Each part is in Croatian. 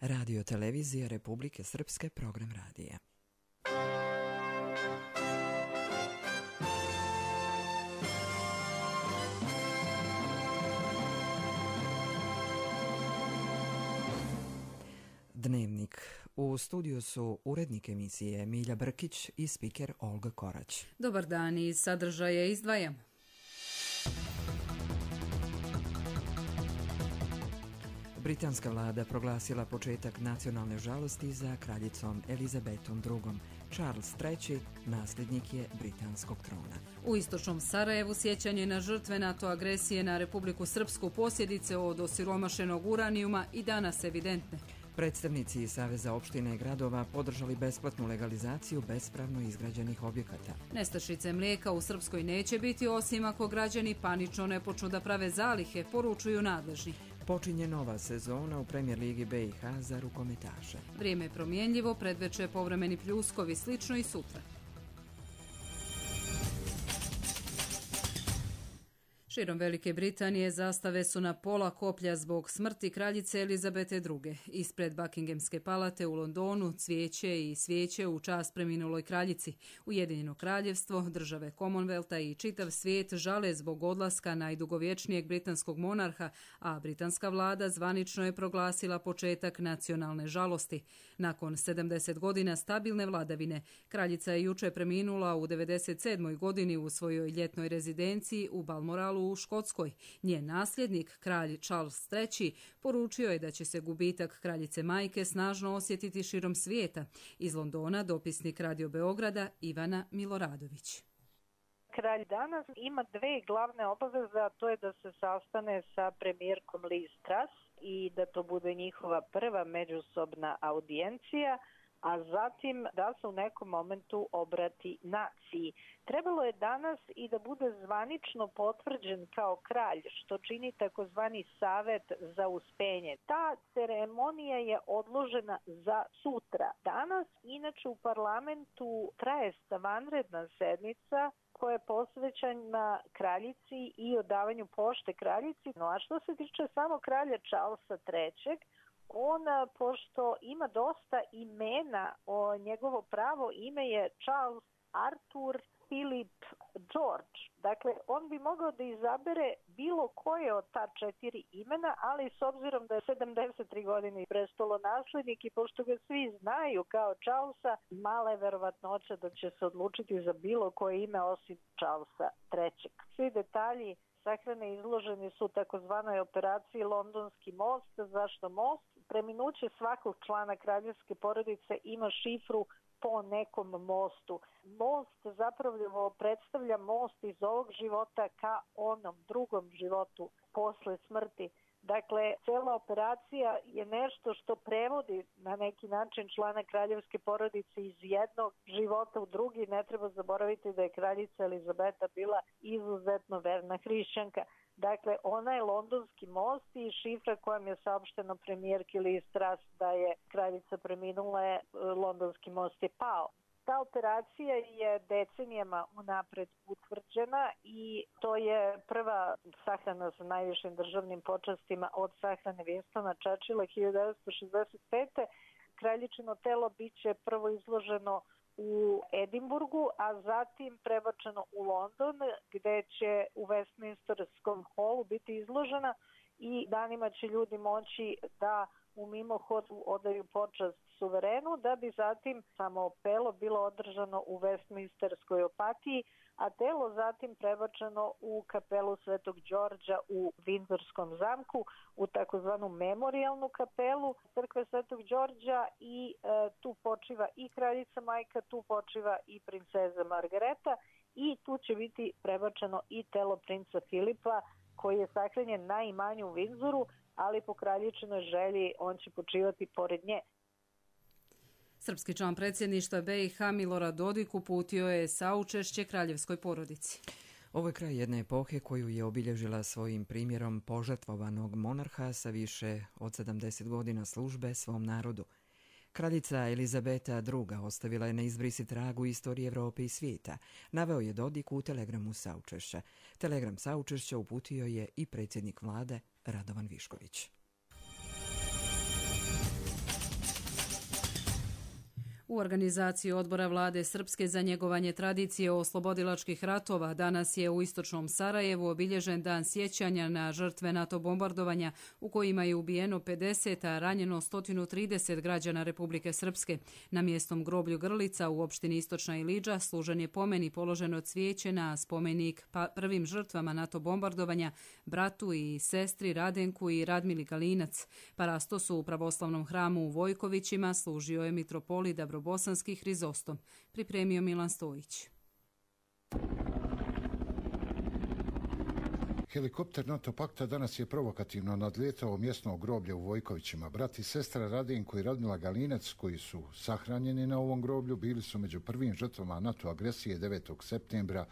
Radio televizije Republike Srpske, program radija. Dnevnik. U studiju su urednik emisije Milja Brkić i spiker Olga Korać. Dobar dan, iz sadržaja izdvajamo. Britanska vlada proglasila početak nacionalne žalosti za kraljicom Elizabetom II. Charles III. Nasljednik je britanskog trona. U istočnom Sarajevu sjećanje na žrtve NATO agresije na Republiku Srpsku, posljedice od osiromašenog uranijuma i danas evidentne. Predstavnici Saveza opština i gradova podržali besplatnu legalizaciju bespravno izgrađenih objekata. Nestašice mlijeka u Srpskoj neće biti osim ako građani panično ne počnu da prave zalihe, poručuju nadležni. Počinje nova sezona u Premijer ligi BiH za rukometaše. Vrijeme je promjenljivo, predveče povremeni pljuskovi, slično i sutra. Širom Velike Britanije zastave su na pola koplja zbog smrti kraljice Elizabete II. Ispred Buckinghamske palate u Londonu cvijeće i svijeće u čast preminuloj kraljici. Ujedinjeno kraljevstvo, države Commonwealtha i čitav svijet žale zbog odlaska najdugovječnijeg britanskog monarha, a britanska vlada zvanično je proglasila početak nacionalne žalosti. Nakon 70 godina stabilne vladavine, kraljica je jučer preminula u 97. godini u svojoj ljetnoj rezidenciji u Balmoralu u Škotskoj. Njen nasljednik, kralj Charles III, poručio je da će se gubitak kraljice majke snažno osjetiti širom svijeta. Iz Londona dopisnik Radio Beograda Ivana Miloradović. Kralj danas ima dve glavne obaveze, a to je da se sastane sa premijerkom Liz Truss i da to bude njihova prva međusobna audijencija, a zatim da se u nekom momentu obrati naciji. Trebalo je danas i da bude zvanično potvrđen kao kralj, što čini takozvani savet za uspenje. Ta ceremonija je odložena za sutra. Danas, inače, u parlamentu traje vanredna sednica koja je posvećena kraljici i odavanju pošte kraljici. No, a što se tiče samo kralja Charlesa III, on, pošto ima dosta imena, njegovo pravo ime je Charles Arthur Philip George. Dakle, on bi mogao da izabere bilo koje od ta četiri imena, ali s obzirom da je 73 godine i prestolonaslednik i pošto ga svi znaju kao Charlesa, mala je verovatnoća da će se odlučiti za bilo koje ime osim Charlesa III. Svi detalji sahrane izloženi su takozvanoj operaciji Londonski most. Zašto most? Preminuće svakog člana kraljevske porodice ima šifru po nekom mostu. Most zapravo predstavlja most iz ovog života ka onom drugom životu posle smrti. Dakle, cela operacija je nešto što prevodi na neki način člana kraljevske porodice iz jednog života u drugi. Ne treba zaboraviti da je kraljica Elizabeta bila izuzetno verna hrišćanka. Dakle, ona je Londonski most i šifra kojom je saopšteno premijerki Liz Truss da je kraljica preminula je Londonski most je pao. Ta operacija je decenijama unapred utvrđena i to je prva sahrana sa najvišim državnim počastima od sahrane Winstona Churchilla 1965. Kraljičino telo biće prvo izloženo u Edinburgu, a zatim prebačeno u London, gde će u Westminsterskom holu biti izložena i danima će ljudi moći da u mimohodu odaju počast suverenu, da bi zatim samo pelo bilo održano u Westminsterskoj opatiji, a telo zatim prebačeno u kapelu Svetog Đorđa u Windsorskom zamku, u takozvanu memorijalnu kapelu crkve Svetog Đorđa i tu počiva i kraljica majka, tu počiva i princeza Margareta i tu će biti prebačeno i telo princa Filipa koji je sahranjen na imanju u Windsoru, ali po kraljičinoj želji on će počivati pored nje. Srpski član predsjedništva BiH Milorad Dodik uputio je saučešće kraljevskoj porodici. Ovo je kraj jedne epohe koju je obilježila svojim primjerom požrtvovanog monarha sa više od 70 godina službe svom narodu. Kraljica Elizabeta II. Ostavila je neizbrisi trag u istoriji Evrope i svijeta, naveo je Dodik u telegramu saučešća. Telegram saučešća uputio je i predsjednik vlade Radovan Višković. U organizaciji odbora vlade Srpske za njegovanje tradicije oslobodilačkih ratova danas je u istočnom Sarajevu obilježen dan sjećanja na žrtve NATO bombardovanja u kojima je ubijeno 50, a ranjeno 130 građana Republike Srpske. Na mjestom groblju Grlica u opštini Istočna Ilidža služen je pomen i položeno cvijeće na spomenik prvim žrtvama NATO bombardovanja, bratu i sestri Radenku i Radmili Galinac. Parastos u pravoslavnom hramu u Vojkovićima služio je mitropolit Bosanski Hrizostom, pripremio Milan Stojić. Helikopter NATO pakta danas je provokativno nadlijetao mjesno groblje u Vojkovićima. Brat i sestra Radenko i Radmila Galinac, koji su sahranjeni na ovom groblju, bili su među prvim žrtvama NATO agresije 9. septembra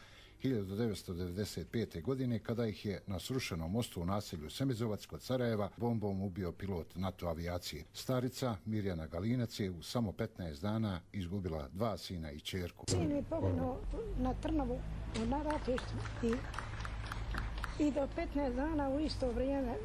1995. godine, kada ih je na srušenom mostu u naselju Semizovac kod Sarajeva bombom ubio pilot NATO avijacije. Starica Mirjana Galinac je u samo 15 dana izgubila 2 sina i ćerku. Sin je poginuo na Trnovu na ratištu i do 15 dana u isto vrijeme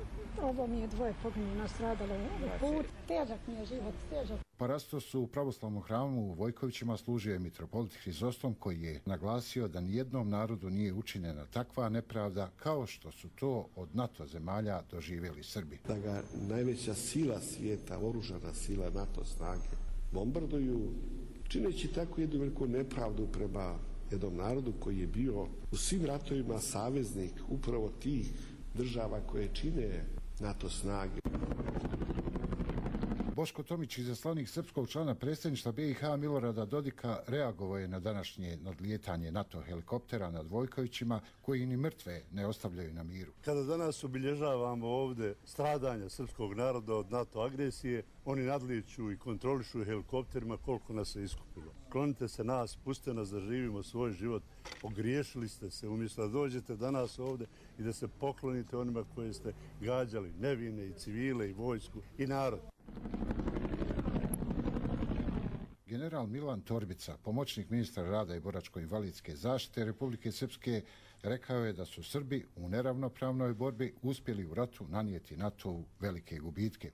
ovo mi je 2 poginulo, nastradalo u put. Težak mi je život, težak. Parastos u pravoslavnom hramu u Vojkovićima služio je mitropolit Hrizostom, koji je naglasio da nijednom narodu nije učinjena takva nepravda kao što su to od NATO zemalja doživjeli Srbi. Da ga najveća sila svijeta, oružana sila NATO snage, bombarduju, čineći tako jednu veliku nepravdu prema jednom narodu koji je bio u svim ratovima saveznik upravo tih država koje čine NATO snage. Boško Tomić, izaslanik srpskog člana predsjedništva BiH Milorada Dodika, reagovao je na današnje nadlijetanje NATO helikoptera nad Vojkovićima, koji ni mrtve ne ostavljaju na miru. Kada danas obilježavamo ovdje stradanja srpskog naroda od NATO agresije, oni nadlijeću i kontrolišu helikopterima koliko nas se iskupilo. Klonite se nas, pustite nas da živimo svoj život. Ogriješili ste se, umjesto da dođete danas ovdje i da se poklonite onima koje ste gađali, nevine i civile i vojsku i narod. General Milan Torbica, pomoćnik ministra rada i boračko-invalidske zaštite Republike Srpske, rekao je da su Srbi u neravnopravnoj borbi uspjeli u ratu nanijeti NATO-u velike gubitke.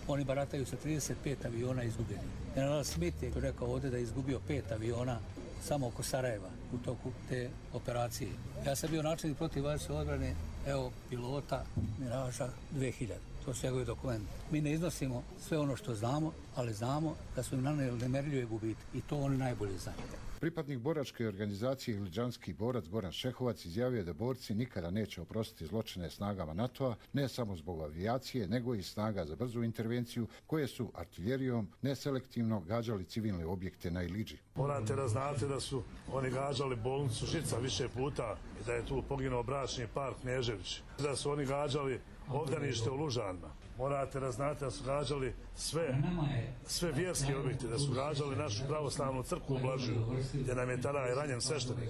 Oni barataju sa 35 aviona izgubljenih. General Smith je rekao ovdje da je izgubio 5 aviona samo oko Sarajeva u toku te operacije. Ja sam bio načelnik protivvazdušne odbrane, evo pilota Miraža 2000. To su njegovi dokumenti. Mi ne iznosimo sve ono što znamo, ali znamo da su im nanijeli nemerljive gubitke i to oni najbolje znaju. Pripadnik boračke organizacije Iliđanski borac Goran Šehovac izjavio da borci nikada neće oprostiti zločine snagama NATO-a, ne samo zbog avijacije, nego i snaga za brzu intervenciju, koje su artiljerijom neselektivno gađali civilne objekte na Ilidži. Morate da znate da su oni gađali bolnicu Žica više puta i da je tu poginuo bračni par Knežević. Da su oni gađali obdanište u Lužanima. Morate da znate da su gađali sve vjerske objekte, da su gađali našu pravoslavnu crkvu u Blažiju, gdje nam je tada ranjen sveštenik.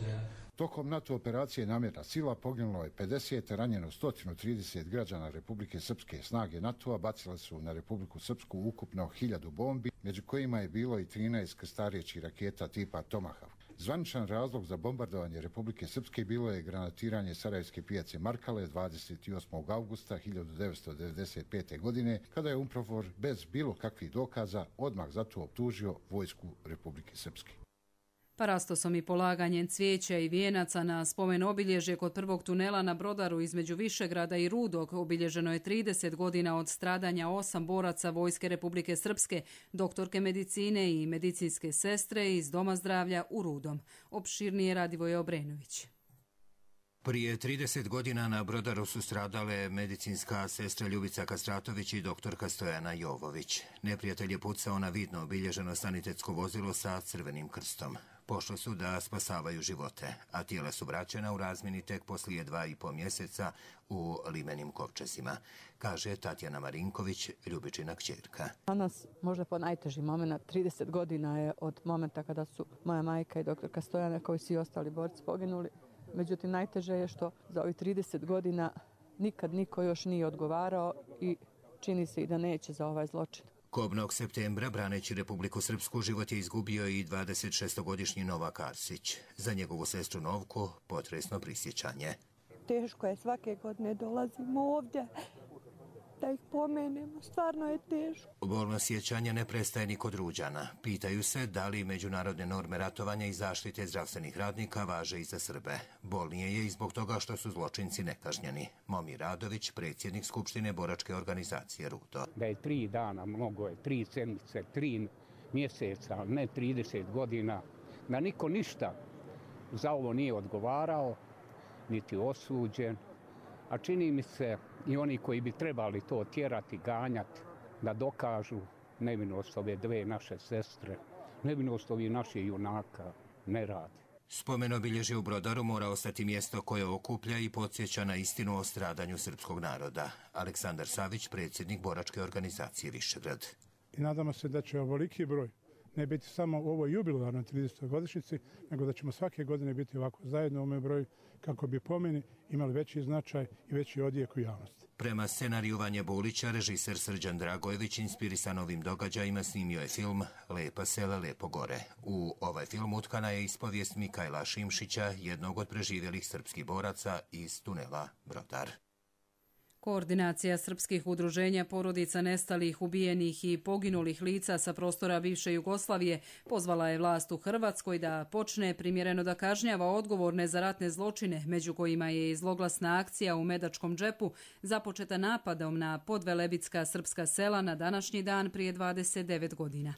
Tokom NATO operacije Namjerna sila poginulo je 50, ranjeno 130 građana Republike Srpske. Snage NATO-a bacile su na Republiku Srpsku ukupno 1000 bombi, među kojima je bilo i 13 krstarećih raketa tipa Tomahawk. Zvaničan razlog za bombardovanje Republike Srpske bilo je granatiranje Sarajevske pijace Markale 28. augusta 1995. godine, kada je UNPROFOR bez bilo kakvih dokaza odmah za to optužio vojsku Republike Srpske. Parastosom i polaganjem cvijeća i vijenaca na spomen obilježje kod prvog tunela na Brodaru između Višegrada i Rudog obilježeno je 30 godina od stradanja 8 boraca Vojske Republike Srpske, doktorke medicine i medicinske sestre iz Doma zdravlja u Rudom. Opširnije Radivoje Obrenović. Prije 30 godina na Brodaru su stradale medicinska sestra Ljubica Kastratović i doktorka Stojana Jovović. Neprijatelj je pucao na vidno obilježeno sanitetsko vozilo sa crvenim krstom. Pošli su da spasavaju živote, a tijela su vraćena u razmjeni tek poslije 2,5 mjeseca u limenim kovčezima, kaže Tatjana Marinković, Ljubičina kćerka. Danas možda po najteži moment, 30 godina je od momenta kada su moja majka i doktorka Stojana, kao i svi ostali borci, poginuli. Međutim, najteže je što za ovih 30 godina nikad niko još nije odgovarao i čini se i da neće za ovaj zločin. Kobnog septembra, braneći Republiku Srpsku, život je izgubio i 26-godišnji Novak Arsić. Za njegovu sestru Novku potresno prisjećanje. Teško je, svake godine dolazimo ovdje da ih pomenemo, stvarno je teško. Bolno sjećanje ne prestaje ni kod Ruđana. Pitaju se da li međunarodne norme ratovanja i zaštite zdravstvenih radnika važe i za Srbe. Bolnije je i zbog toga što su zločinci nekažnjeni. Momir Radović, predsjednik Skupštine boračke organizacije RUDO. Da je 3 dana, mnogo je, 3 sedmice, 3 mjeseca, ne 30 godina, da niko ništa za ovo nije odgovarao, niti osuđen, a čini mi se i oni koji bi trebali to tjerati, ganjati, da dokažu nevinost ove 2 naše sestre, nevinost ovih naših junaka, ne radi. Spomen obilježje u Brodaru mora ostati mjesto koje okuplja i podsjeća na istinu o stradanju srpskog naroda. Aleksandar Savić, predsjednik boračke organizacije Višegrad. I nadamo se da će ovoliki broj ne biti samo u ovoj jubilarnoj 30. godišnjici, nego da ćemo svake godine biti ovako zajedno u ovome broju kako bi pomeni imali veći značaj i veći odjek u javnosti. Prema scenariju Vanje Bulića, režiser Srđan Dragojević inspirisan ovim događajima snimio je film Lepa sela, lepo gore. U ovaj film utkana je ispovijest Mikajla Šimšića, jednog od preživjelih srpskih boraca iz tunela Brodar. Koordinacija srpskih udruženja porodica nestalih, ubijenih i poginulih lica sa prostora bivše Jugoslavije pozvala je vlast u Hrvatskoj da počne primjereno da kažnjava odgovorne za ratne zločine, među kojima je i zloglasna akcija u Medačkom džepu započeta napadom na podvelebitska srpska sela na današnji dan prije 29 godina.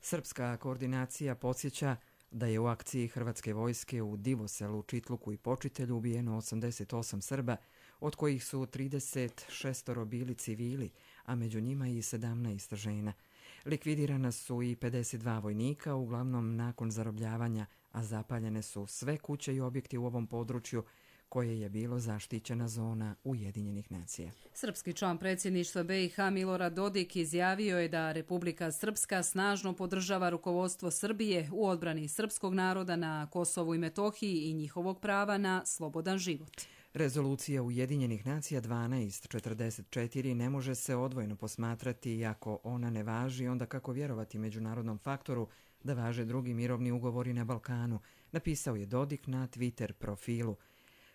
Srpska koordinacija podsjeća da je u akciji Hrvatske vojske u Divoselu, Čitluku i Počitelju ubijeno 88 Srba, od kojih su 36 bili civili, a među njima i 17 žena. Likvidirana su i 52 vojnika, uglavnom nakon zarobljavanja, a zapaljene su sve kuće i objekti u ovom području koje je bilo zaštićena zona Ujedinjenih nacija. Srpski član predsjedništva BiH Milorad Dodik izjavio je da Republika Srpska snažno podržava rukovodstvo Srbije u odbrani srpskog naroda na Kosovu i Metohiji i njihovog prava na slobodan život. Rezolucija Ujedinjenih nacija 1244 ne može se odvojno posmatrati i ako ona ne važi, onda kako vjerovati međunarodnom faktoru da važe drugi mirovni ugovori na Balkanu, napisao je Dodik na Twitter profilu.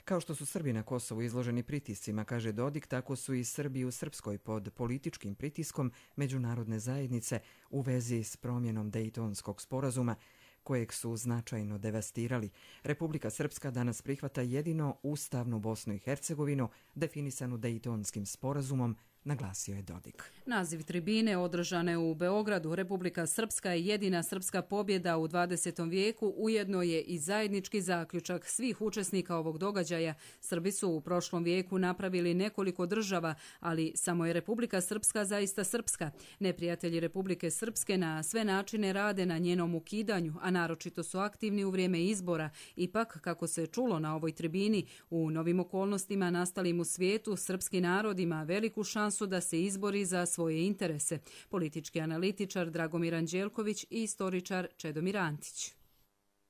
Kao što su Srbi na Kosovu izloženi pritiscima, kaže Dodik, tako su i Srbi u Srpskoj pod političkim pritiskom međunarodne zajednice u vezi s promjenom Dejtonskog sporazuma, kojeg su značajno devastirali. Republika Srpska danas prihvata jedino ustavnu Bosnu i Hercegovinu, definisanu Dejtonskim sporazumom, naglasio je Dodik. Naziv tribine održane u Beogradu Republika Srpska je jedina srpska pobjeda u 20. vijeku, ujedno je i zajednički zaključak svih učesnika ovog događaja. Srbi su u prošlom vijeku napravili nekoliko država, ali samo je Republika Srpska zaista srpska. Neprijatelji Republike Srpske na sve načine rade na njenom ukidanju, a naročito su aktivni u vrijeme izbora. Ipak, kako se čulo na ovoj tribini, u novim okolnostima nastalim u svijetu, srpski narod ima veliku šansu da se izbori za svoje interese. Politički analitičar Dragomir Anđelković i istoričar Čedomir Antić.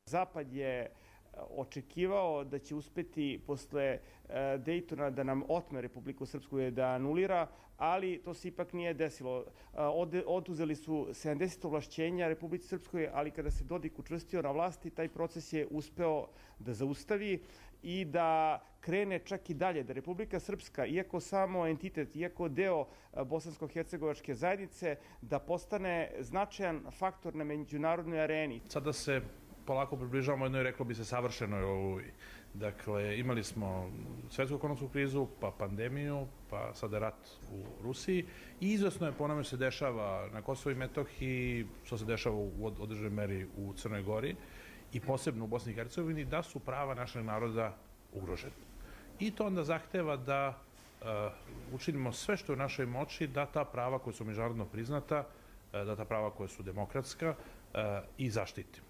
Zapad je očekivao da će uspjeti posle Dejtona da nam otme Republiku Srpsku i da anulira, ali to se ipak nije desilo. Oduzeli su 70 ovlašćenja Republici Srpskoj, ali kada se Dodik učvrstio na vlasti, taj proces je uspeo da zaustavi i da krene čak i dalje, da Republika Srpska, iako samo entitet, iako deo bosansko-hercegovačke zajednice, da postane značajan faktor na međunarodnoj areni. Sada se polako približavamo jednoj, reklo bi se, savršenoj oluji. Dakle, imali smo svjetsku ekonomsku krizu, pa pandemiju, pa sada rat u Rusiji i izvesno je po onome se dešava na Kosovu i Metohiji, što se dešava u određenoj meri u Crnoj Gori i posebno u Bosni i Hercegovini, da su prava našeg naroda ugrožena. I to onda zahteva da učinimo sve što je u našoj moći da ta prava koja su međunarodno priznata, da ta prava koja su demokratska i zaštitimo.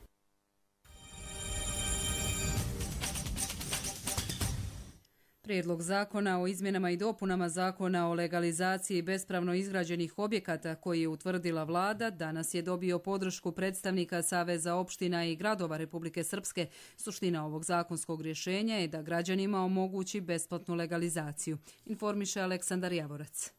Prijedlog zakona o izmjenama i dopunama zakona o legalizaciji bespravno izgrađenih objekata koji je utvrdila vlada danas je dobio podršku predstavnika Saveza opština i gradova Republike Srpske. Suština ovog zakonskog rješenja je da građanima omogući besplatnu legalizaciju, informiše Aleksandar Javorac.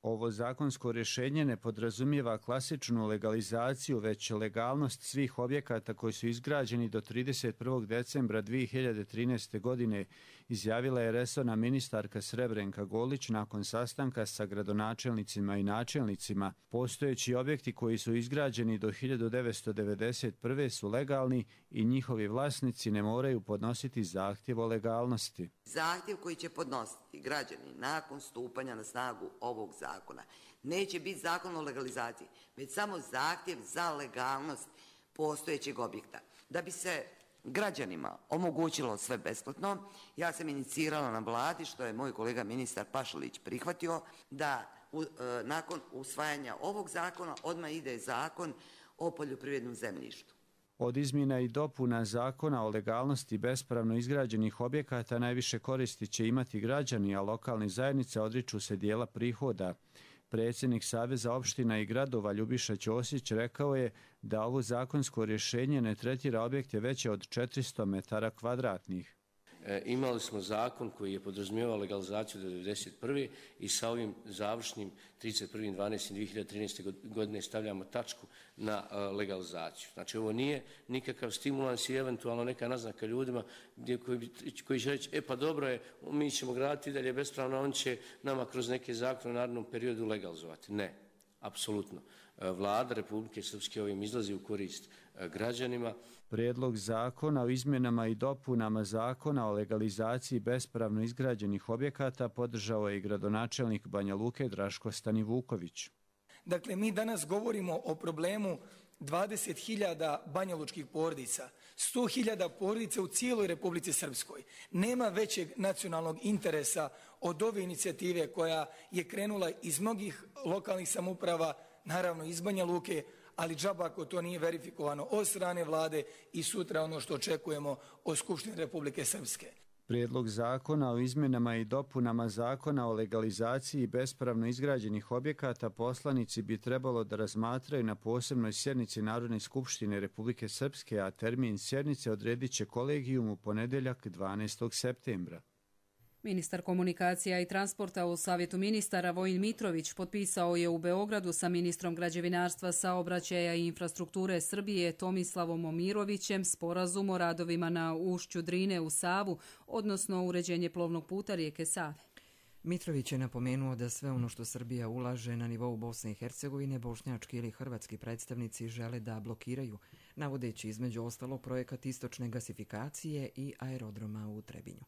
Ovo zakonsko rješenje ne podrazumijeva klasičnu legalizaciju, već legalnost svih objekata koji su izgrađeni do 31. decembra 2013. godine izjavila je resorna ministarka Srebrenka Golić nakon sastanka sa gradonačelnicima i načelnicima. Postojeći objekti koji su izgrađeni do 1991. su legalni i njihovi vlasnici ne moraju podnositi zahtjev o legalnosti. Zahtjev koji će podnositi građani nakon stupanja na snagu ovog zakona neće biti zakon o legalizaciji, već samo zahtjev za legalnost postojećeg objekta. Da bi se građanima omogućilo sve besplatno, ja sam inicirala na vladi, što je moj kolega ministar Pašalić prihvatio, da nakon usvajanja ovog zakona odmah ide zakon o poljoprivrednom zemljištu. Od izmjena i dopuna zakona o legalnosti bespravno izgrađenih objekata najviše koristi će imati građani, a lokalne zajednice odriču se dijela prihoda. Predsjednik Saveza opština i gradova Ljubiša Ćosić rekao je da ovo zakonsko rješenje ne tretira objekte veće od 400 metara kvadratnih. Imali smo zakon koji je podrazumijevao legalizaciju do 1991. i sa ovim završnim 31.12.2013. godine stavljamo tačku na legalizaciju. Znači ovo nije nikakav stimulans i eventualno neka naznaka ljudima koji će reći pa dobro je, mi ćemo graditi dalje bespravno, on će nama kroz neke zakone u narednom periodu legalizovati. Ne, apsolutno. Vlada Republike Srpske ovim izlazi u korist građanima. Prijedlog zakona o izmjenama i dopunama zakona o legalizaciji bespravno izgrađenih objekata podržao je i gradonačelnik Banja Luke Draško Stanivuković. Dakle, mi danas govorimo o problemu 20.000 banjalučkih porodica, 100.000 porodica u cijeloj Republici Srpskoj. Nema većeg nacionalnog interesa od ove inicijative koja je krenula iz mnogih lokalnih samouprava, naravno iz Banja Luke, ali džaba ako to nije verifikovano od strane vlade i sutra ono što očekujemo od Skupštine Republike Srpske. Prijedlog zakona o izmjenama i dopunama zakona o legalizaciji bespravno izgrađenih objekata poslanici bi trebalo da razmatraju na posebnoj sjednici Narodne skupštine Republike Srpske, a termin sjednice odredit će kolegijum u ponedjeljak 12. septembra. Ministar komunikacija i transporta u Savjetu ministara Vojin Mitrović potpisao je u Beogradu sa ministrom građevinarstva, saobraćaja i infrastrukture Srbije Tomislavom Momirovićem sporazum o radovima na ušću Drine u Savu, odnosno uređenje plovnog puta rijeke Save. Mitrović je napomenuo da sve ono što Srbija ulaže na nivou Bosne i Hercegovine, bošnjački ili hrvatski predstavnici žele da blokiraju, navodeći između ostalo projekat istočne gasifikacije i aerodroma u Trebinju.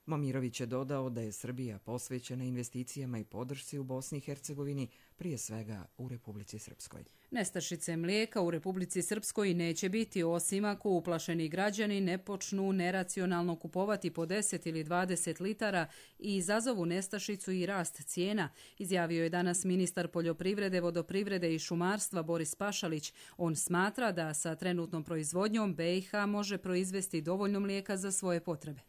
Momirović je dodao da je Srbija posvećena investicijama i podršci u Bosni i Hercegovini, prije svega u Republici Srpskoj. Nestašice mlijeka u Republici Srpskoj neće biti osim ako uplašeni građani ne počnu neracionalno kupovati po 10 ili 20 litara i izazovu nestašicu i rast cijena, izjavio je danas ministar poljoprivrede, vodoprivrede i šumarstva Boris Pašalić. On smatra da sa trenutnom proizvodnjom BiH može proizvesti dovoljno mlijeka za svoje potrebe.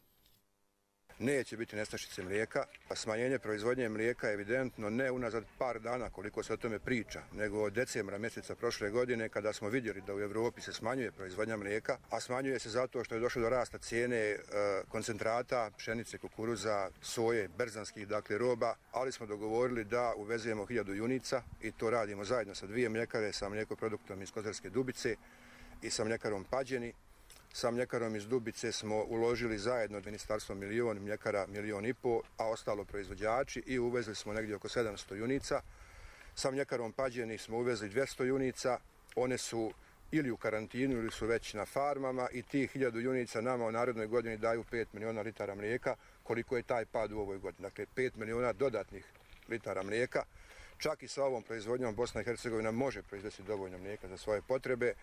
Neće biti nestašice mlijeka, a smanjenje proizvodnje mlijeka je evidentno ne unazad par dana koliko se o tome priča, nego od decembra mjeseca prošle godine kada smo vidjeli da u Europi se smanjuje proizvodnja mlijeka, a smanjuje se zato što je došlo do rasta cijene koncentrata, pšenice, kukuruza, soje, berzanskih roba, ali smo dogovorili da uvezemo 1000 junica i to radimo zajedno sa 2 mljekare, sa mlijekoproduktom iz Kozarske Dubice i sa mljekarom Pađeni. Sa mljekarom iz Dubice smo uložili zajedno od ministarstva 1 milion, mljekara 1,5 miliona, a ostalo proizvođači i uvezli smo negdje oko 700 junica. Sa mljekarom Pađeni smo uvezli 200 junica, one su ili u karantinu ili su već na farmama i tih 1000 junica nama u narednoj godini daju 5 miliona litara mlijeka, koliko je taj pad u ovoj godini. Dakle, 5 miliona dodatnih litara mlijeka. Čak i sa ovom proizvodnjom Bosna i Hercegovina može proizvesti dovoljno mlijeka za svoje potrebe.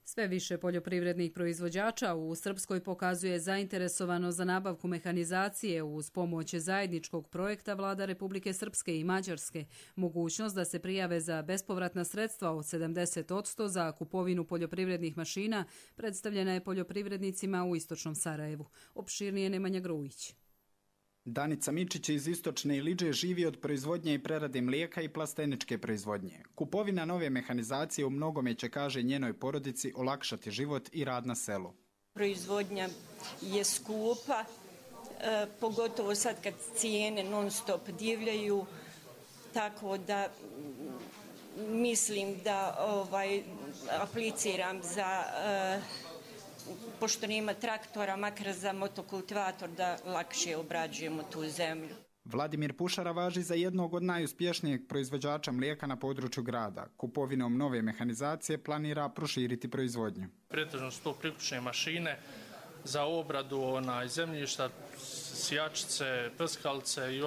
Sve više poljoprivrednih proizvođača u Srpskoj pokazuje zainteresovano za nabavku mehanizacije uz pomoć zajedničkog projekta vlada Republike Srpske i Mađarske. Mogućnost da se prijave za bespovratna sredstva od 70% za kupovinu poljoprivrednih mašina predstavljena je poljoprivrednicima u istočnom Sarajevu. Opširnije Nemanja Grujić. Danica Mičić iz istočne Iliđe živi od proizvodnje i prerade mlijeka i plasteničke proizvodnje. Kupovina nove mehanizacije u mnogome će, kaže, njenoj porodici olakšati život i rad na selu. Proizvodnja je skupa, pogotovo sad kad cijene non stop divljaju, tako da mislim da apliciram za pošto nema traktora, makar za motokultivator da lakše obrađujemo tu zemlju. Vladimir Pušara važi za jednog od najuspješnijeg proizvođača mlijeka na području grada. Kupovinom nove mehanizacije planira proširiti proizvodnju. Pretežno su to priključne mašine za obradu zemljišta, sijačice, prskalice i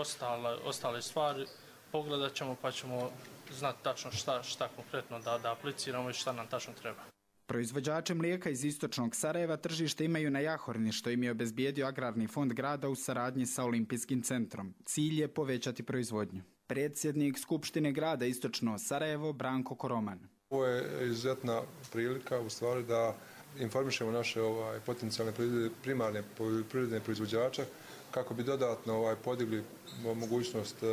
ostale stvari. Pogledat ćemo pa ćemo znati tačno šta konkretno da apliciramo i šta nam tačno treba. Proizvođače mlijeka iz istočnog Sarajeva tržište imaju na Jahorni, što im je obezbijedio Agrarni fond grada u saradnji sa Olimpijskim centrom. Cilj je povećati proizvodnju. Predsjednik Skupštine grada Istočno Sarajevo, Branko Koroman. Ovo je izuzetna prilika u stvari da informišemo naše potencijalne primarne poljoprivredne proizvođače kako bi dodatno podigli mogućnost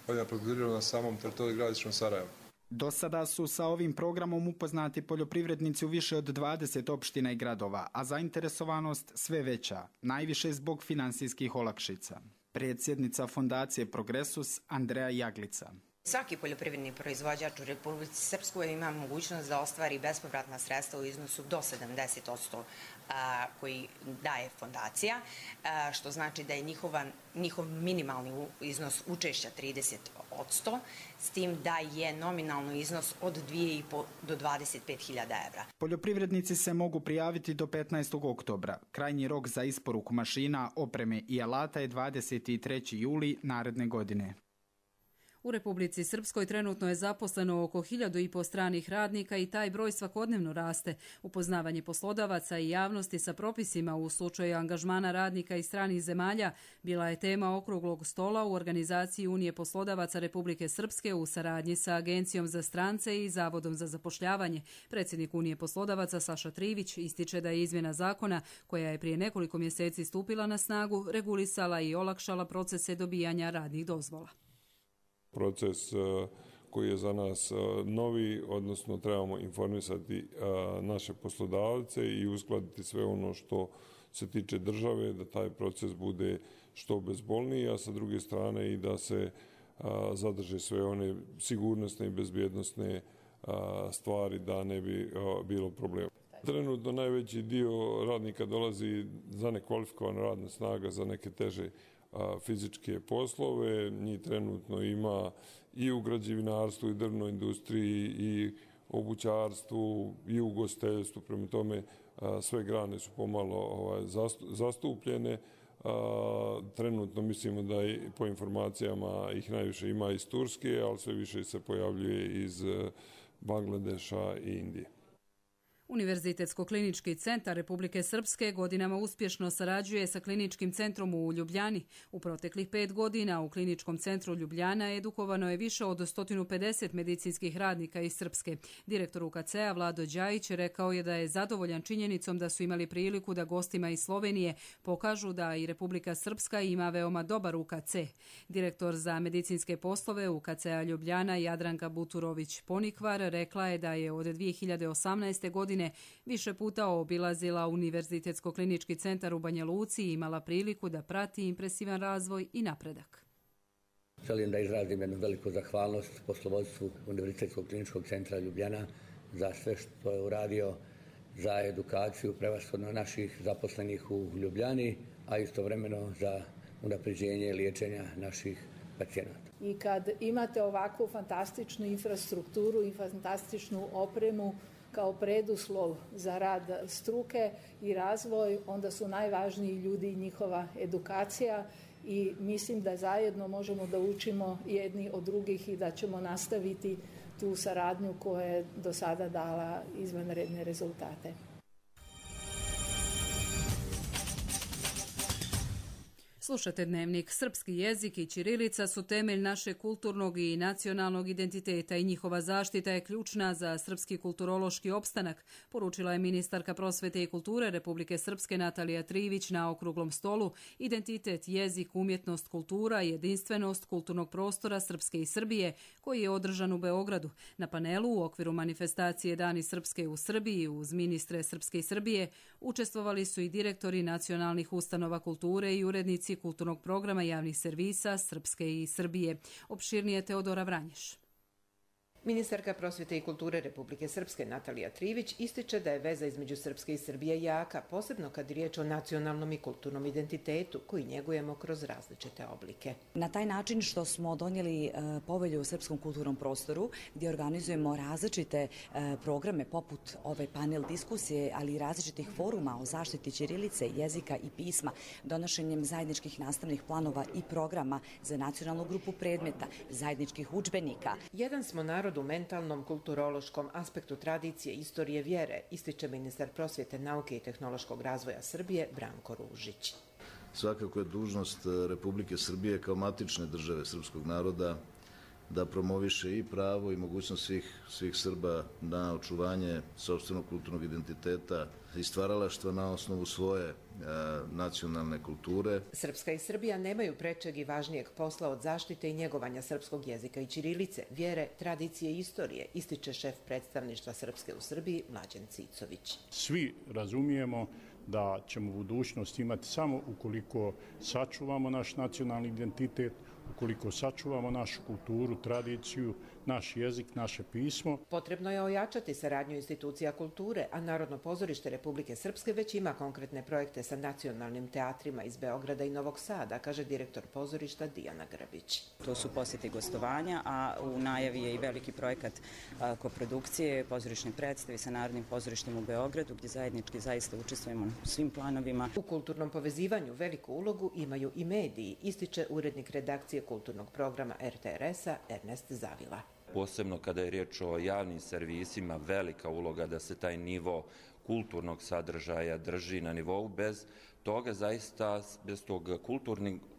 poljoprivrede na samom teritoriju grada Istočnog Sarajeva. Do sada su sa ovim programom upoznati poljoprivrednici u više od 20 opština i gradova, a zainteresovanost sve veća, najviše zbog finansijskih olakšica. Predsjednica fondacije Progresus Andreja Jaglica. Svaki poljoprivredni proizvođač u Republici Srpskoj ima mogućnost da ostvari bespovratna sredstva u iznosu do 70% koji daje fondacija, što znači da je njihov minimalni iznos učešća 30%, s tim da je nominalni iznos od 2.500 do 25.000 evra. Poljoprivrednici se mogu prijaviti do 15. oktobra. Krajnji rok za isporuku mašina, opreme i alata je 23. juli naredne godine. U Republici Srpskoj trenutno je zaposleno oko 1.500 stranih radnika i taj broj svakodnevno raste. Upoznavanje poslodavaca i javnosti sa propisima u slučaju angažmana radnika iz stranih zemalja bila je tema okruglog stola u organizaciji Unije poslodavaca Republike Srpske u saradnji sa Agencijom za strance i Zavodom za zapošljavanje. Predsjednik Unije poslodavaca Saša Trivić ističe da je izmjena zakona, koja je prije nekoliko mjeseci stupila na snagu, regulisala i olakšala procese dobijanja radnih dozvola. Proces koji je za nas novi, odnosno trebamo informisati naše poslodavce i uskladiti sve ono što se tiče države, da taj proces bude što bezbolniji, a sa druge strane i da se zadrže sve one sigurnosne i bezbjednosne stvari da ne bi bilo problema. Trenutno najveći dio radnika dolazi za nekvalifikovana radna snaga za neke teže fizičke poslove. Njih trenutno ima i u građevinarstvu i drvnoj industriji i obućarstvu i u ugostiteljstvu. Prema tome sve grane su pomalo zastupljene. Trenutno mislimo da po informacijama ih najviše ima iz Turske, ali sve više se pojavljuje iz Bangladeša i Indije. Univerzitetsko-klinički centar Republike Srpske godinama uspješno sarađuje sa kliničkim centrom u Ljubljani. U proteklih 5 godina u kliničkom centru Ljubljana edukovano je više od 150 medicinskih radnika iz Srpske. Direktor UKC-a Vlado Đajić rekao je da je zadovoljan činjenicom da su imali priliku da gostima iz Slovenije pokažu da i Republika Srpska ima veoma dobar UKC. Direktor za medicinske poslove UKC-a Ljubljana Jadranka Buturović-Ponikvar rekla je da je od 2018. godine više puta obilazila Univerzitetsko-klinički centar u Banja Luci i imala priliku da prati impresivan razvoj i napredak. Želim da izrazim jednu veliku zahvalnost poslovodstvu Univerzitetskog-kliničkog centra Ljubljana za sve što je uradio za edukaciju prevashodno naših zaposlenih u Ljubljani, a istovremeno za unapređenje liječenja naših pacijenata. I kad imate ovakvu fantastičnu infrastrukturu i fantastičnu opremu kao preduslov za rad struke i razvoj, onda su najvažniji ljudi i njihova edukacija i mislim da zajedno možemo da učimo jedni od drugih i da ćemo nastaviti tu saradnju koja je do sada dala izvanredne rezultate. Slušate Dnevnik. Srpski jezik i ćirilica su temelj našeg kulturnog i nacionalnog identiteta i njihova zaštita je ključna za srpski kulturološki opstanak, poručila je ministarka prosvete i kulture Republike Srpske Natalija Trivić na okruglom stolu Identitet, jezik, umjetnost, kultura i jedinstvenost kulturnog prostora Srpske i Srbije, koji je održan u Beogradu. Na panelu u okviru manifestacije Dani Srpske u Srbiji uz ministre Srpske i Srbije učestvovali su i direktori nacionalnih ustanova kulture i urednici kulturnog programa javnih servisa Srpske i Srbije. Opširnije Teodora Vranješ. Ministarka prosvjete i kulture Republike Srpske Natalija Trivić ističe da je veza između Srpske i Srbije jaka, posebno kad je riječ o nacionalnom i kulturnom identitetu koji njegujemo kroz različite oblike. Na taj način što smo donijeli povelju o srpskom kulturnom prostoru gdje organizujemo različite programe poput ove panel diskusije, ali i različitih foruma o zaštiti ćirilice, jezika i pisma, donošenjem zajedničkih nastavnih planova i programa za nacionalnu grupu predmeta, zajedničkih udžbenika. Jedan smo narod u mentalnom, kulturološkom aspektu tradicije, istorije, vjere, ističe ministar prosvjete, nauke i tehnološkog razvoja Srbije Branko Ružić. Svakako je dužnost Republike Srbije kao matične države srpskog naroda da promoviše i pravo i mogućnost svih Srba na očuvanje sopstvenog kulturnog identiteta i stvaralaštva na osnovu svoje nacionalne kulture. Srpska i Srbija nemaju prečeg i važnijeg posla od zaštite i njegovanja srpskog jezika i ćirilice, vjere, tradicije i istorije, ističe šef predstavništva Srpske u Srbiji Mlađan Cicović. Svi razumijemo da ćemo u budućnosti imati samo ukoliko sačuvamo naš nacionalni identitet, ukoliko sačuvamo našu kulturu, tradiciju, naš jezik, naše pismo. Potrebno je ojačati saradnju institucija kulture, a Narodno pozorište Republike Srpske već ima konkretne projekte sa nacionalnim teatrima iz Beograda i Novog Sada, kaže direktor pozorišta Dijana Grbić. To su posjeti gostovanja, a u najavi je i veliki projekat koprodukcije, pozorišne predstave sa Narodnim pozorištem u Beogradu, gdje zajednički zaista učestvujemo u svim planovima. U kulturnom povezivanju veliku ulogu imaju i mediji, ističe urednik redakcije kulturnog programa RTRS-a Ernest Zavila. Posebno kada je riječ o javnim servisima, velika uloga da se taj nivo kulturnog sadržaja drži na nivou. Bez toga zaista, bez tog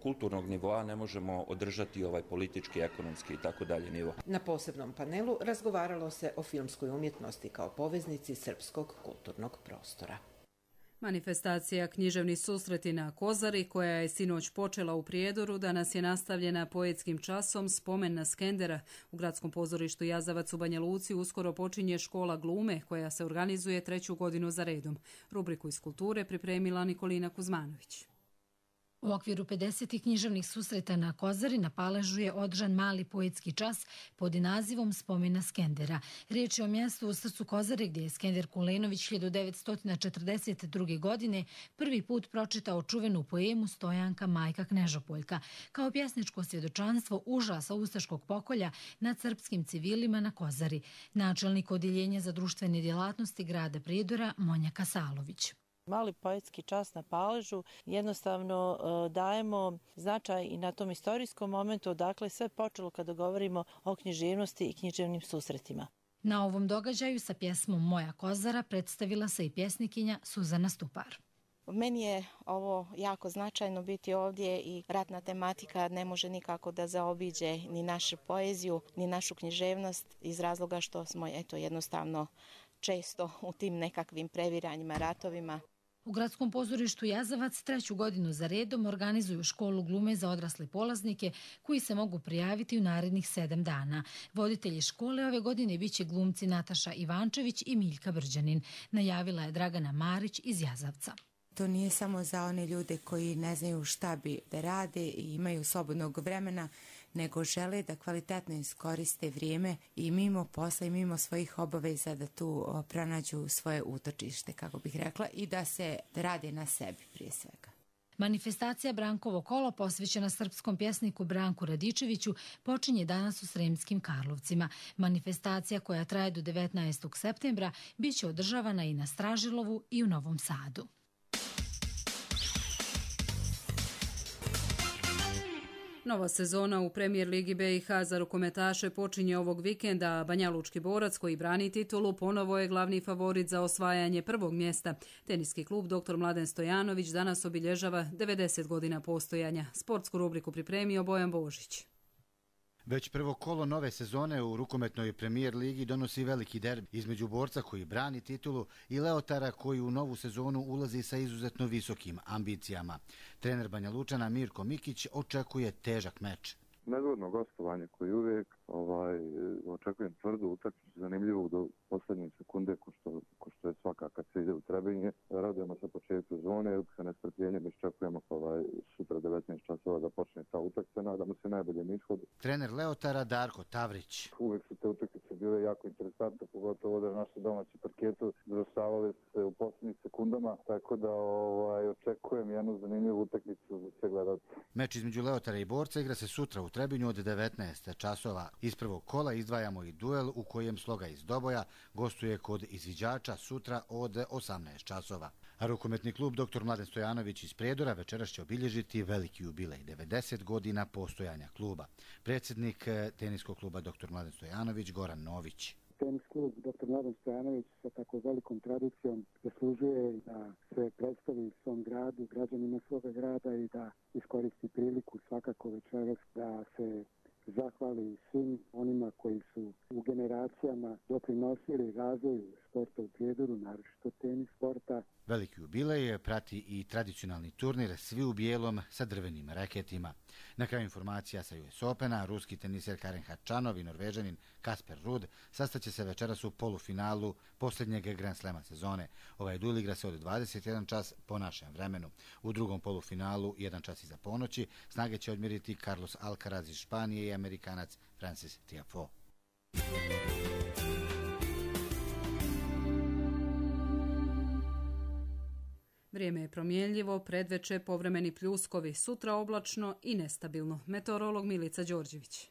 kulturnog nivoa ne možemo održati ovaj politički, ekonomski i tako dalje nivo. Na posebnom panelu razgovaralo se o filmskoj umjetnosti kao poveznici srpskog kulturnog prostora. Manifestacija Književni susreti na Kozari, koja je sinoć počela u Prijedoru, danas je nastavljena poetskim časom Spomen na Skendera. U Gradskom pozorištu Jazavac u Banja Luci uskoro počinje škola glume, koja se organizuje 3. godinu za redom. Rubriku iz kulture pripremila Nikolina Kuzmanović. U okviru 50. književnih susreta na Kozari na Paležu je održan mali poetski čas pod nazivom Spomen na Skendera. Riječ je o mjestu u srcu Kozare gdje je Skender Kulenović 1942. godine prvi put pročitao čuvenu poemu Stojanka majka Knežopoljka kao pjesničko svjedočanstvo užasa ustaškog pokolja nad srpskim civilima na Kozari. Načelnik odjeljenja za društvene djelatnosti grada Prijedora Monja Kasalović. Mali poetski čas na Paležu jednostavno dajemo značaj i na tom istorijskom momentu odakle sve počelo kada govorimo o književnosti i književnim susretima. Na ovom događaju sa pjesmom Moja Kozara predstavila se i pjesnikinja Suzana Stupar. Meni je ovo jako značajno biti ovdje i ratna tematika ne može nikako da zaobiđe ni našu poeziju, ni našu književnost iz razloga što smo jednostavno često u tim nekakvim previranjima, ratovima. U Gradskom pozorištu Jazavac 3. godinu za redom organizuju školu glume za odrasle polaznike koji se mogu prijaviti u narednih 7 dana. Voditelji škole ove godine biće glumci Nataša Ivančević i Miljka Brđanin, najavila je Dragana Marić iz Jazavca. To nije samo za one ljude koji ne znaju šta bi da rade i imaju slobodnog vremena, nego žele da kvalitetno iskoriste vrijeme i mimo posla i mimo svojih obaveza da tu pronađu svoje utočište, kako bih rekla, i da se rade na sebi prije svega. Manifestacija Brankovo kolo posvećena srpskom pjesniku Branku Radičeviću počinje danas u Sremskim Karlovcima. Manifestacija koja traje do 19. septembra bit će održavana i na Stražilovu i u Novom Sadu. Nova sezona u Premijer Ligi BiH za rukometaše počinje ovog vikenda, a Banjalučki borac koji brani titulu ponovo je glavni favorit za osvajanje prvog mjesta. Teniski klub Dr. Mladen Stojanović danas obilježava 90 godina postojanja. Sportsku rubriku pripremio Bojan Božić. Već prvo kolo nove sezone u rukometnoj Premijer Ligi donosi veliki derbi između borca koji brani titulu i Leotara koji u novu sezonu ulazi sa izuzetno visokim ambicijama. Trener Banja Lučana Mirko Mikić očekuje težak meč. Nezgodno gostovanje koji uvijek očekujem tvrdu utakmicu, zanimljivu do posljednje sekunde ko što je svaka kad se ide u Trebinje. Radujemo se početku sezone, sa nestrpljenjem iščekujemo sutra 19 časova da počne ta utakmica, nadamo se najboljem ishodu. Trener Leotara Darko Tavrić. Uvijek su te utakmice pogotovo da naši domaći parketu završavali se u posljednjih sekundama, tako da očekujem jednu zanimljivu utakmicu za sve gledalce. Meč između Leotara i Borca igra se sutra u Trebinju od 19 časova. Iz prvog kola izdvajamo i duel u kojem Sloga iz Doboja gostuje kod izviđača sutra od 18 časova. A rukometni klub dr. Mladen Stojanović iz Prijedora večeras će obilježiti veliki jubilej, 90 godina postojanja kluba. Predsjednik teniskog kluba dr. Mladen Stojanović, Goran Nović. Tenis klub dr. Mladen Stojanović sa tako velikom tradicijom zaslužuje da se predstavi svom gradu, građanima svoga grada i da iskoristi priliku svakako večeras da se zahvali svim onima koji su u generacijama doprinosili razvoju sporta u Prijedoru, naročito tenis sporta. Veliki jubilej prati i tradicionalni turnir Svi u bijelom sa drvenim raketima. Na kraju informacija sa US Opena, ruski teniser Karen Khachanov i Norvežanin Kasper Ruud sastaće se večeras u polufinalu posljednjeg Grand Slema sezone. Ovaj duel igra se od 21 čas po našem vremenu. U drugom polufinalu, 1 čas iza ponoći, snage će odmjeriti Carlos Alcaraz iz Španije i Amerikanac Francis Tiafoe. Vrijeme je promjenljivo, predveče povremeni pljuskovi, sutra oblačno i nestabilno. Meteorolog Milica Đorđević.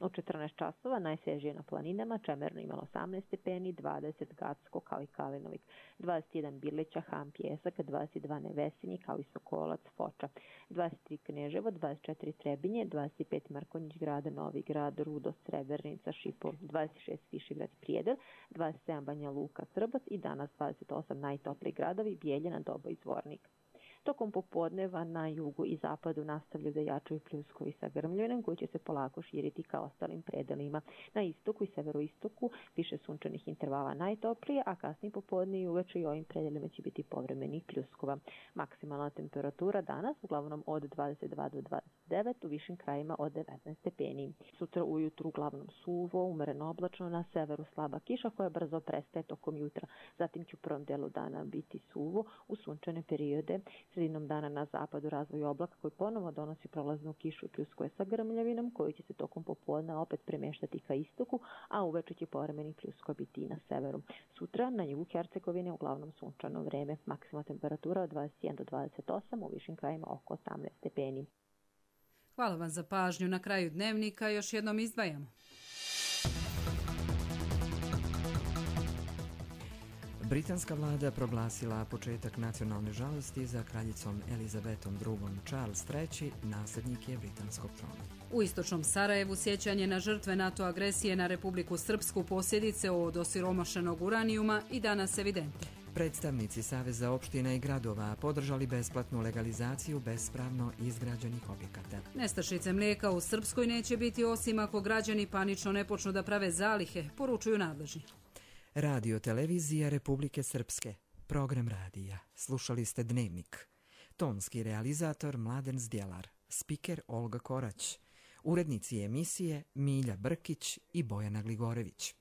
U 14 časova najsvježije na planinama, Čemerno imalo 18 stepeni, 20 Gacko kao i Kalinovik, 21 Birlića, Ham, Pjesak, 22 Nevesinji kao i Sokolac, Foča, 23 Kneževo, 24 Trebinje, 25 Markonjić grada, Novi grad, Rudo, Srebrnica, Šipol, 26 Višegrad, Prijedor, 27 Banja Luka, Srbac i danas 28 najtopliji gradovi, Bijeljina, Dobo i Zvornik. Tokom popodneva na jugu i zapadu nastavljaju da jačaju pljuskovi sa grmljevinom koji će se polako širiti ka ostalim predelima. Na istoku i severoistoku više sunčanih intervala najtoplije, a kasnije popodne i uveče i ovim predelima će biti povremenih pljuskova. Maksimalna temperatura danas uglavnom od 22 do 29, u višim krajima od 19 stepeni. Sutra ujutru uglavnom suvo, umereno oblačno, na severu slaba kiša koja brzo prestaje tokom jutra. Zatim će u prvom delu dana biti suvo u sunčane periode. Sredinom dana na zapadu razvoj oblaka koji ponovo donosi prolaznu kišu i pljuskove sa grmljavinom koji će se tokom popodna opet premeštati ka istoku, a uveče će povremeni pljuskova biti i na severu. Sutra na jugu Hercegovine uglavnom sunčano vreme, maksimalna temperatura od 21 do 28, u višim krajima oko 18 stepeni. Hvala vam za pažnju. Na kraju dnevnika još jednom izdvajamo. Britanska vlada proglasila početak nacionalne žalosti za kraljicom Elizabetom II. Charles III. Nasljednik je britanskog trona. U istočnom Sarajevu sjećanje na žrtve NATO agresije na Republiku Srpsku, posljedice od osiromašenog uranijuma i danas evidentne. Predstavnici Saveza opština i gradova podržali besplatnu legalizaciju bespravno izgrađenih objekata. Nestašice mlijeka u Srpskoj neće biti osim ako građani panično ne počnu da prave zalihe, poručuju nadležni. Radio televizija Republike Srpske. Program radija. Slušali ste Dnevnik. Tonski realizator Mladen Zdjelar. Spiker Olga Korać. Urednici emisije Milja Brkić i Bojana Gligorević.